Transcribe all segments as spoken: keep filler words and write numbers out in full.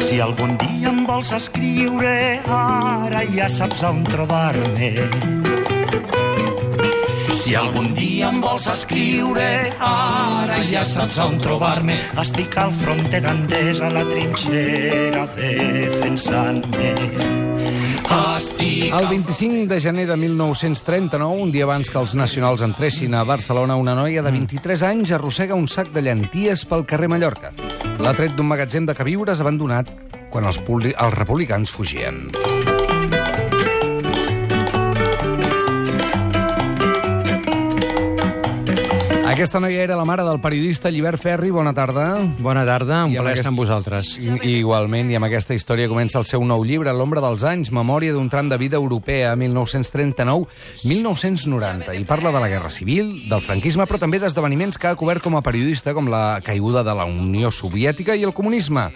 Si algun dia em vols escriure, ara ja saps on trobar-me. Si algun dia em vols escriure, ara ja saps on trobar-me. Estic al front de Gandés, a la trinxera, defensant-me. Estic... El vint-i-cinc de gener de mil nou-cents trenta-nou, un dia abans que els nacionals entressin a Barcelona, una noia de vint-i-tres anys arrossega un sac de llenties pel carrer Mallorca. L'ha tret d'un magatzem de queviures abandonat quan els, els republicans fugien. Aquesta noia era la mare del periodista Llibert Ferri. Bona tarda. Bona tarda, un I amb plaer aquest- estar amb vosaltres. I, igualment, i amb aquesta història comença el seu nou llibre, L'ombra dels anys, memòria d'un tram de vida europea, mil nou-cents trenta-nou a mil nou-cents noranta. I parla de la Guerra Civil, del franquisme, però també d'esdeveniments que ha cobert com a periodista, com la caiguda de la Unió Soviètica i el comunisme.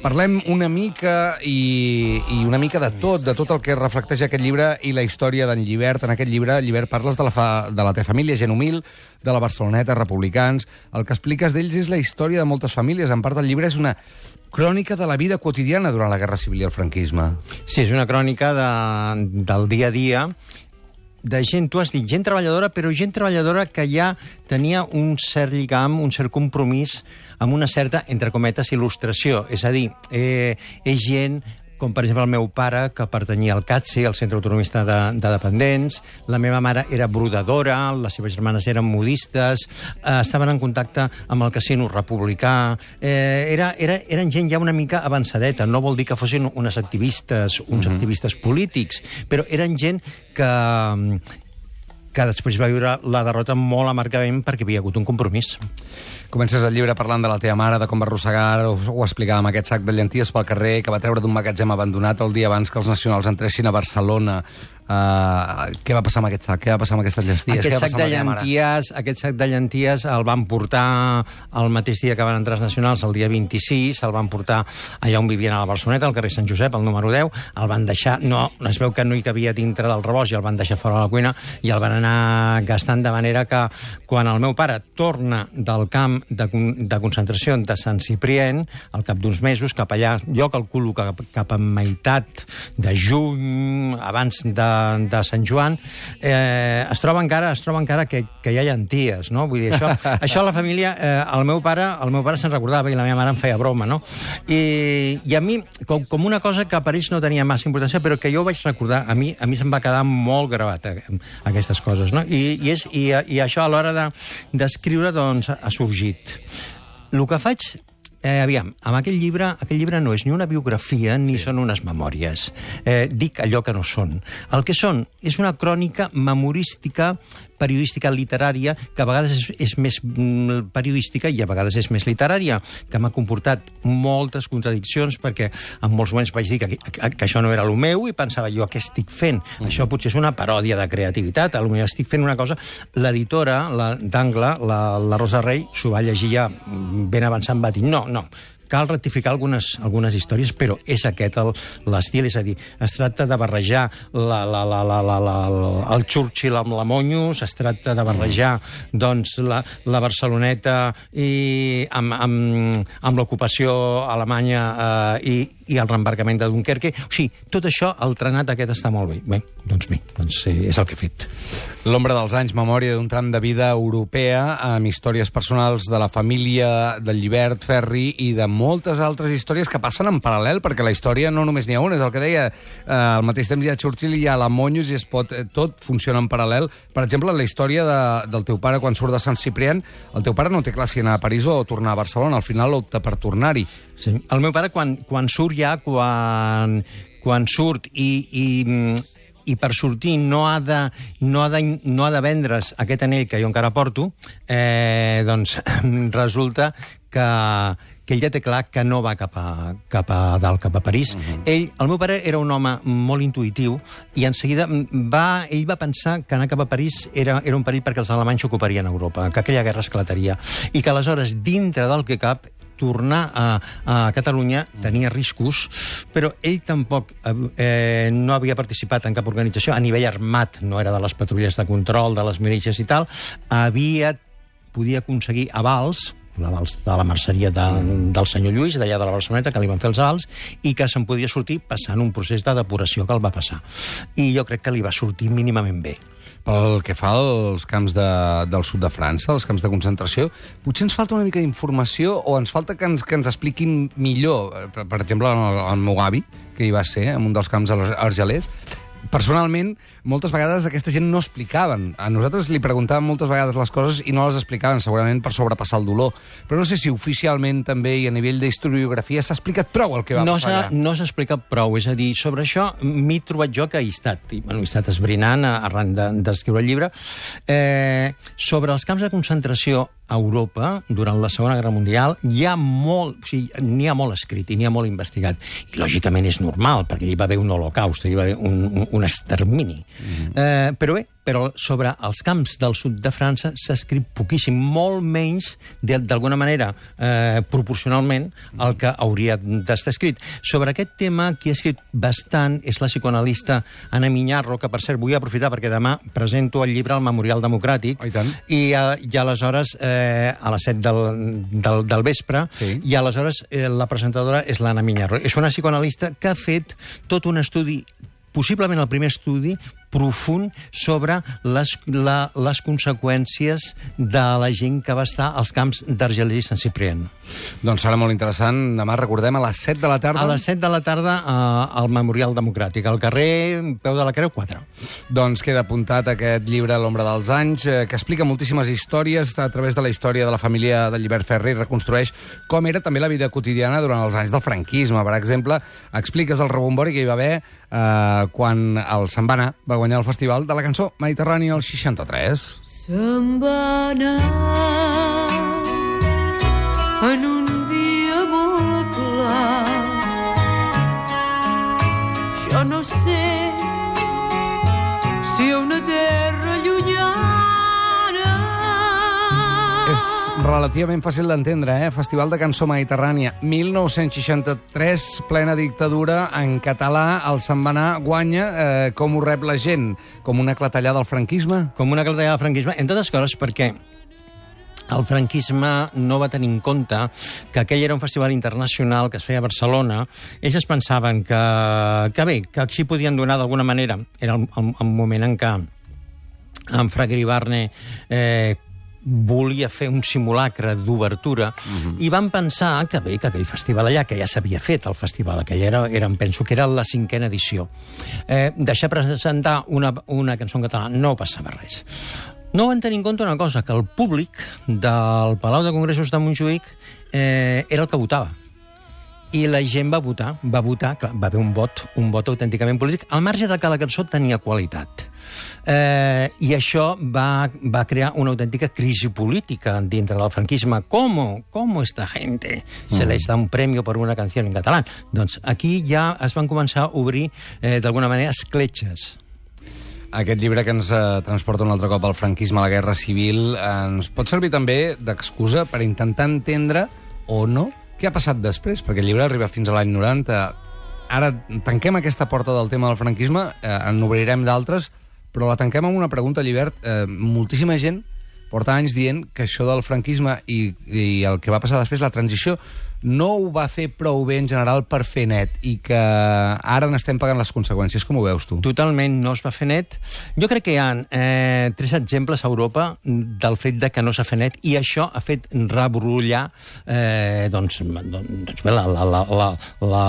Parlem una mica i, i una mica de tot, de tot el que reflecteix aquest llibre i la història d'en Llibert. En aquest llibre, Llibert, parles de la, fa, de la teva família, gent humil, de la Barceloneta, republicans. El que expliques d'ells és la història de moltes famílies. En part del llibre és una crònica de la vida quotidiana durant la Guerra Civil i el franquisme. Sí, és una crònica de, del dia a dia de gent, tu has dit, gent treballadora, però gent treballadora que ja tenia un cert lligam, un cert compromís amb una certa, entre cometes, il·lustració. És a dir, eh, és gent com per exemple el meu pare, que pertanyia al CATSE, al Centre Autonomista de, de Dependents. La meva mare era brodadora, les seves germanes eren modistes, eh, estaven en contacte amb el casino republicà. Eh, era, era, eren gent ja una mica avançadeta. No vol dir que fossin unes activistes, uns mm-hmm. activistes polítics, però eren gent que... que després va viure la derrota molt amargament perquè havia hagut un compromís. Comences el llibre parlant de la teva mare, de com va arrossegar, ho, ho explicàvem, aquest sac de llenties pel carrer que va treure d'un magatzem abandonat el dia abans que els nacionals entressin a Barcelona. Uh, què va passar amb aquest sac? Què va passar amb aquestes llenties? Aquest sac, de llenties, aquest sac de llenties el van portar el mateix dia que van entrar els nacionals, el dia vint-i-sis, el van portar allà on vivien a la Barceloneta, al carrer Sant Josep, al número deu, el van deixar, no, es veu que no hi cabia dintre del rebost i el van deixar fora de la cuina i el van anar gastant, de manera que quan el meu pare torna del camp de, de concentració de Sant Ciprien, al cap d'uns mesos, cap allà, jo calculo que cap a meitat de juny, abans de de Sant Joan, eh, es troba encara, es troba encara que, que hi ha llenties, no? Vull dir, això, això a la família, eh, el meu pare, el meu pare se'n recordava i la meva mare em feia broma, no? I, i a mi, com, com una cosa que per ells no tenia massa importància, però que jo ho vaig recordar, a mi, a mi se'm va quedar molt gravat eh, aquestes coses, no? I, i, és, i, i això a l'hora de, d'escriure, doncs, ha sorgit. El que faig... Eh, aviam, amb aquell llibre, aquell llibre no és ni una biografia ni sí. són unes memòries. Eh, dic allò que no són. El que són és una crònica memorística, periodística literària, que a vegades és, és més mm, periodística i a vegades és més literària, que m'ha comportat moltes contradiccions perquè en molts moments vaig dir que, que, que això no era el meu i pensava jo, què estic fent? Mm. Això potser és una paròdia de creativitat, potser estic fent una cosa... L'editora la, d'Angle, la, la Rosa Rey, s'ho va llegir ja ben avançant, va dir, no, no, cal rectificar algunes, algunes històries, però és aquest l'estil, és a dir, es tracta de barrejar la, la, la, la, la, la, el Churchill amb la Monyos, es tracta de barrejar doncs, la, la Barceloneta i amb, amb, amb l'ocupació alemanya eh, i, i el reembarcament de Dunkerque. O sigui, tot això, el trenat aquest està molt bé. Bé, doncs bé, doncs és el que he fet. L'ombra dels anys, memòria d'un tram de vida europea, amb històries personals de la família del Llibert Ferri i de moltes altres històries que passen en paral·lel, perquè la història no només n'hi ha una, és el que deia, eh, al mateix temps hi ha Churchill i hi ha la Monyos i es pot, eh, tot funciona en paral·lel. Per exemple, la història de, del teu pare quan surt de Sant Ciprián, el teu pare no té clar si anar a París o tornar a Barcelona, al final opta per tornar-hi. Sí. El meu pare, quan, quan surt ja, quan, quan surt i... i i per sortir no ha de, no ha de, no ha de vendre's aquest anell que jo encara porto, eh, doncs resulta que, que ell ja té clar que no va cap a, cap a dalt, cap a París. Uh-huh. Ell, el meu pare era un home molt intuïtiu i en seguida va, ell va pensar que anar cap a París era, era un perill perquè els alemanys ocuparien Europa, que aquella guerra esclataria, i que aleshores, dintre del que cap, tornar a, a Catalunya tenia riscos, però ell tampoc eh, no havia participat en cap organització a nivell armat, no era de les patrulles de control, de les milícies i tal, havia, podia aconseguir avals l'avals de la merceria de, del senyor Lluís, d'allà de la Barceloneta, que li van fer els avals, i que se'n podia sortir passant un procés de depuració que el va passar. I jo crec que li va sortir mínimament bé. Pel que fa als camps de, del sud de França, els camps de concentració, potser ens falta una mica d'informació o ens falta que ens, que ens expliquin millor. Per, per exemple, el, el meu avi, que hi va ser, en un dels camps argelers, personalment, moltes vegades aquesta gent no explicaven. A nosaltres li preguntàvem moltes vegades les coses i no les explicaven, segurament per sobrepassar el dolor. Però no sé si oficialment també i a nivell d'historiografia s'ha explicat prou el que va no passar allà. No s'ha explicat prou, és a dir, sobre això m'he trobat jo que he estat, i, bueno, he estat esbrinant arran d'escriure el llibre, eh, sobre els camps de concentració a Europa, durant la Segona Guerra Mundial, hi ha molt, o sigui, n'hi ha molt escrit i n'hi ha molt investigat. I, lògicament, és normal, perquè hi va haver un holocaust, hi va haver un, un, un extermini. Mm. Eh, però bé, però sobre els camps del sud de França s'ha escrit poquíssim, molt menys, d'alguna manera, eh, proporcionalment, el que hauria d'estar escrit. Sobre aquest tema, qui ha escrit bastant és la psicoanalista Anna Miñarro, que, per cert, vull aprofitar perquè demà presento el llibre al Memorial Democràtic, oh, i tant. i, i aleshores, eh, a les set del, del, del vespre, sí. I aleshores eh, la presentadora és l'Anna Miñarro. És una psicoanalista que ha fet tot un estudi, possiblement el primer estudi profund sobre les, la, les conseqüències de la gent que va estar als camps d'Argelers i Sant Ciprien. Doncs serà molt interessant. Demà, recordem, a les set de la tarda... A les set de la tarda eh, al Memorial Democràtic, al carrer Peu de la Creu quatre. Doncs queda apuntat aquest llibre, L'ombra dels anys, eh, que explica moltíssimes històries a través de la història de la família de Llibert Ferrer i reconstrueix com era també la vida quotidiana durant els anys del franquisme. Per exemple, expliques el rebombori que hi va haver eh, quan el se'n va anar, va guanyar el Festival de la Cançó Mediterrània al seixanta-tres. Se'n va anar en un dia molt clar. Jo no sé si a una terra llunyana. És relativament fàcil d'entendre, eh? Festival de Cançó Mediterrània, mil nou-cents seixanta-tres, plena dictadura, en català, el se'n va anar, guanya, eh, com ho rep la gent? Com una clatellada al franquisme? Com una clatellada al franquisme, entre altres coses perquè el franquisme no va tenir en compte que aquell era un festival internacional que es feia a Barcelona. Ells es pensaven que, que bé, que així podien donar d'alguna manera. Era el, el, el moment en què en Fraga Iribarne eh, volia fer un simulacre d'obertura, uh-huh. I van pensar que bé, que aquell festival allà, que ja s'havia fet el festival, aquell era, era, penso que era la cinquena edició, eh, deixar presentar una, una cançó en català no passava res. No van tenir en compte una cosa, que el públic del Palau de Congressos de Montjuïc eh, era el que votava. I la gent va votar, va votar, clar, va haver un vot, un vot autènticament polític, al marge de que la cançó tenia qualitat. Eh, I això va, va crear una autèntica crisi política dintre del franquisme. ¿Cómo? ¿Cómo esta gente se mm. les da un premio por una canción en català? Doncs aquí ja es van començar a obrir, eh, d'alguna manera, escletxes. Aquest llibre que ens eh, transporta un altre cop al franquisme, a la Guerra Civil, eh, ens pot servir també d'excusa per intentar entendre, o no, què ha passat després, perquè el llibre arriba fins a l'any noranta. Ara tanquem aquesta porta del tema del franquisme, eh, en obrirem d'altres, però la tanquem amb una pregunta, Llibert. Eh, moltíssima gent porta anys dient que això del franquisme i, i el que va passar després, la transició, no ho va fer prou bé en general per fer net i que ara n'estem pagant les conseqüències. Com ho veus tu? Totalment no es va fer net. Jo crec que hi ha eh, tres exemples a Europa del fet de que no s'ha fet net i això ha fet rebrollar eh, doncs, doncs bé, la, la, la, la, la,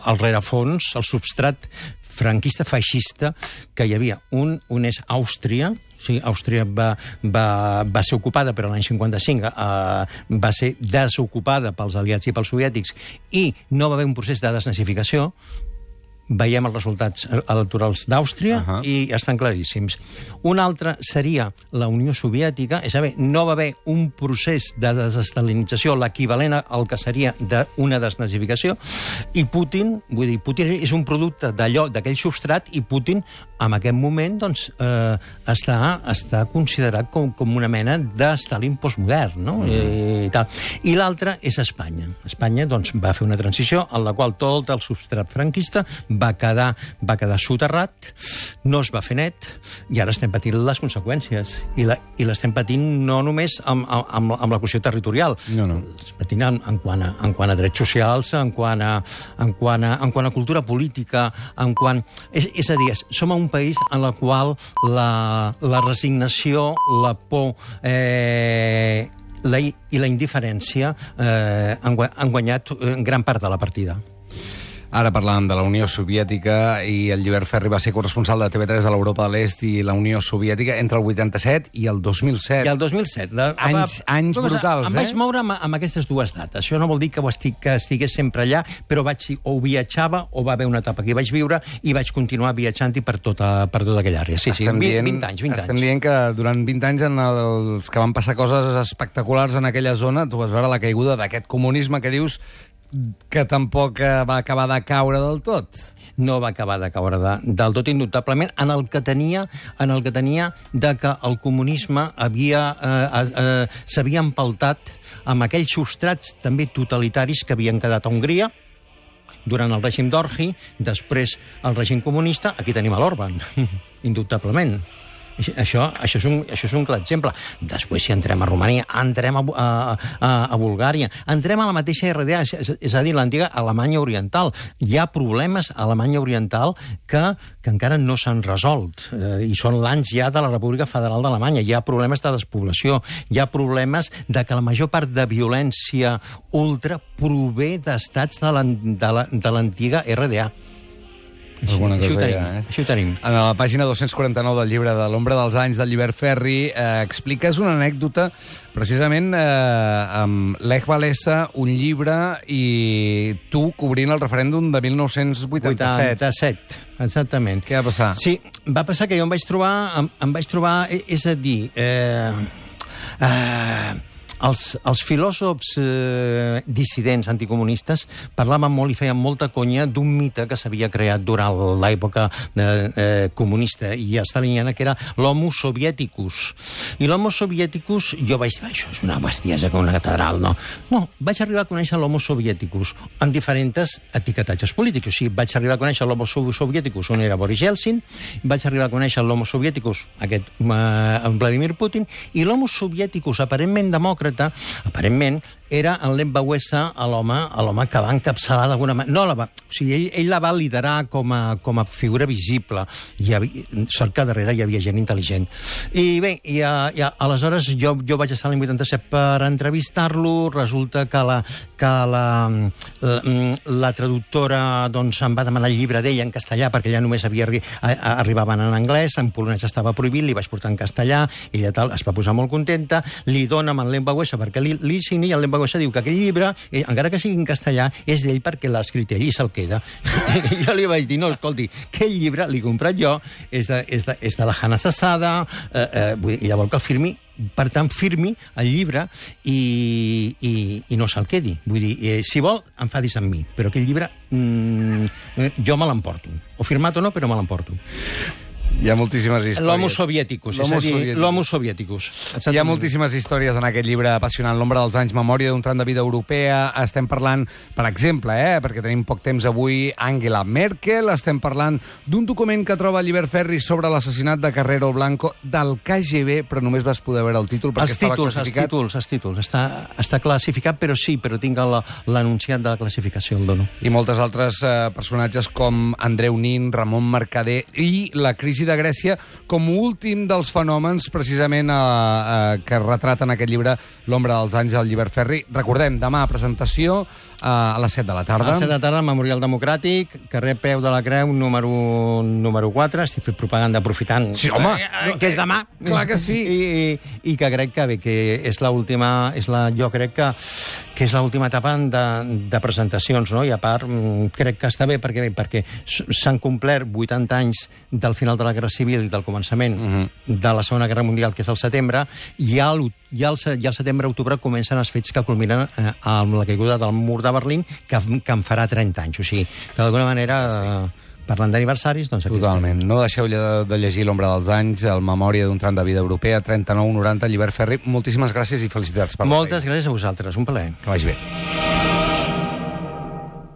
el rerefons, el substrat franquista feixista que hi havia. Un, un és Àustria. Sí, Àustria va, va, va ser ocupada, però l'any cinquanta-cinc eh, va ser desocupada pels aliats i pels soviètics i no va haver un procés de desnazificació. Veiem els resultats electorals d'Àustria uh-huh. i estan claríssims. Un altre seria la Unió Soviètica, és a dir, no va haver un procés de desestalinització l'equivalent al que seria d'una desnazificació, i Putin, vull dir, Putin és un producte d'allò, d'aquell substrat, i Putin en aquest moment doncs, eh, està, està considerat com, com una mena de Stalin postmodern, no? Mm. I, i, tal. I l'altre és Espanya. Espanya doncs, va fer una transició en la qual tot el substrat franquista va quedar, va quedar soterrat, no es va fer net, i ara estem patint les conseqüències. I, la, i l'estem patint no només amb, amb, amb la qüestió territorial, no, no. L'estem patint en, en, quant a, en quant a drets socials, en quant a, en quant a, en quant a cultura política, en quant... És, és a dir, som un país en la qual la, la resignació, la por eh, la, i la indiferència eh, han, han guanyat gran part de la partida. Ara parlàvem de la Unió Soviètica i el Llibert Ferri va ser corresponsal de T V tres de l'Europa de l'Est i la Unió Soviètica entre el vuitanta-set i el dos mil set. I el dos mil set. La, anys anys cosa, brutals, em eh? Em vaig moure amb, amb aquestes dues dates. Això no vol dir que, ho estic, que estigués sempre allà, però vaig, o viatjava o va haver una etapa que hi vaig viure i vaig continuar viatjant-hi per tota, per tota aquella àrea. Sí, estem sí, dient, vint anys, vint estem anys. dient que durant vint anys en els que van passar coses espectaculars en aquella zona, tu vas veure la caiguda d'aquest comunisme que dius que tampoc va acabar de caure del tot. No va acabar de caure de, del tot indubtablement en el que tenia en el que tenia de que el comunisme havia eh, eh, s'havia empaltat amb aquells substrats també totalitaris que havien quedat a Hongria durant el règim d'Orgi, després el règim comunista. Aquí tenim a l'Orban, indubtablement. Això, això, és un, això és un clar exemple. Després, si entrem a Romania, entrem a, a, a, a Bulgària, entrem a la mateixa R D A, és, és a dir, l'antiga Alemanya Oriental. Hi ha problemes a Alemanya Oriental que, que encara no s'han resolt, eh, i són l'anys ja de la República Federal d'Alemanya. Hi ha problemes de despoblació, hi ha problemes de que la major part de violència ultra prové d'estats de l'antiga R D A. Alguna cosa això, ho tenim, ja, eh? això ho tenim. En la pàgina dos-cents quaranta-nou del llibre de l'Ombra dels anys del Llibert Ferri eh, expliques una anècdota precisament eh, amb Lech Walesa, un llibre, i tu cobrint el referèndum de mil nou-cents vuitanta-set. vuitanta-set, exactament. Què va passar? Sí, va passar que jo em vaig trobar, em, em vaig trobar, és a dir, eh, eh, Els, els filòsofs eh, dissidents anticomunistes parlaven molt i feien molta conya d'un mite que s'havia creat durant l'època eh, eh, comunista i estaliniana, que era l'homo sovièticus. I l'homo sovièticus, jo vaig dir, això és una bestiesa com una catedral, no? No, vaig arribar a conèixer l'homo sovièticus en diferents etiquetatges polítics. O sigui, vaig arribar a conèixer l'homo sovièticus, on era Boris Yeltsin, vaig arribar a conèixer l'homo sovièticus, aquest eh, Vladimir Putin, i l'homo sovièticus, aparentment demòcrata, aparentment, era en Lech Walesa l'home l'home que va encapçalar d'alguna manera. No, la va, o sigui, ell, ell la va liderar com a, com a figura visible. Hi havia, sort que darrere hi havia gent intel·ligent. I bé, i, i, aleshores jo, jo vaig estar l'any vuitanta-set per entrevistar-lo. Resulta que la, que la, la, la traductora doncs, em va demanar el llibre d'ell en castellà, perquè ella només havia arri arribaven en anglès, en polonès estava prohibit, li vaig portar en castellà, ella tal, es va posar molt contenta, li dona en Lech Walesa perquè li, li signi, i el Lech Walesa diu que aquell llibre, eh, encara que sigui en castellà, és d'ell perquè l'ha escrit ell i se'l queda. I jo li vaig dir, no, escolti, aquell llibre l'he comprat jo, és de, és de, és de la Hanna Sassada, eh, eh, vull dir, ella vol que el firmi, per tant, firmi el llibre i, i, i no se'l quedi. Vull dir, eh, si vol, enfadis amb mi, però aquell llibre mm, jo me l'emporto. O firmat o no, però me l'emporto. Hi ha moltíssimes històries. L'homo sovièticus, és a dir, l'homo sovièticus. Hi ha moltíssimes històries en aquest llibre apassionant, L'ombra dels anys, memòria d'un tram de vida europea. Estem parlant, per exemple, eh, perquè tenim poc temps avui, Angela Merkel. Estem parlant d'un document que troba Llibert Ferri sobre l'assassinat de Carrero Blanco del K G B, però només vas poder veure el títol perquè els estava títols, classificat. Els títols, els títols. Està, està classificat, però sí, però tinc l'anunciat de la classificació, el dono. I moltes altres eh, personatges com Andreu Nin, Ramon Mercader i la crisi de Grècia com últim dels fenòmens precisament eh, eh, que retraten aquest llibre L'ombra dels anys del Llibert Ferri. Recordem, demà presentació eh, a les set de la tarda. A les set de la tarda, al Memorial Democràtic, carrer Peu de la Creu, número, número quatre. Estic fent propaganda aprofitant. Sí, home! Eh, que és demà. Clar que sí. I, i, i que crec que bé, que és l'última, és la, jo crec que, que és l'última etapa de, de presentacions, no? I a part, crec que està bé perquè, perquè s'han complert vuitanta anys del final de la Guerra Civil i del començament uh -huh. de la Segona Guerra Mundial, que és el setembre, i al, ja al, ja al setembre-octubre comencen els fets que culminen eh, amb la caiguda del mur de Berlín, que, que en farà trenta anys. O sigui, que d'alguna manera... Eh, Parlant d'aniversaris, doncs aquí Totalment. No deixeu de, de llegir L'ombra dels anys, el Memòria d'un tram de vida europea, trenta-nou noranta, Llibert Ferri. Moltíssimes gràcies i felicitats per Moltes gràcies a vosaltres, un plaer. Que vagi bé.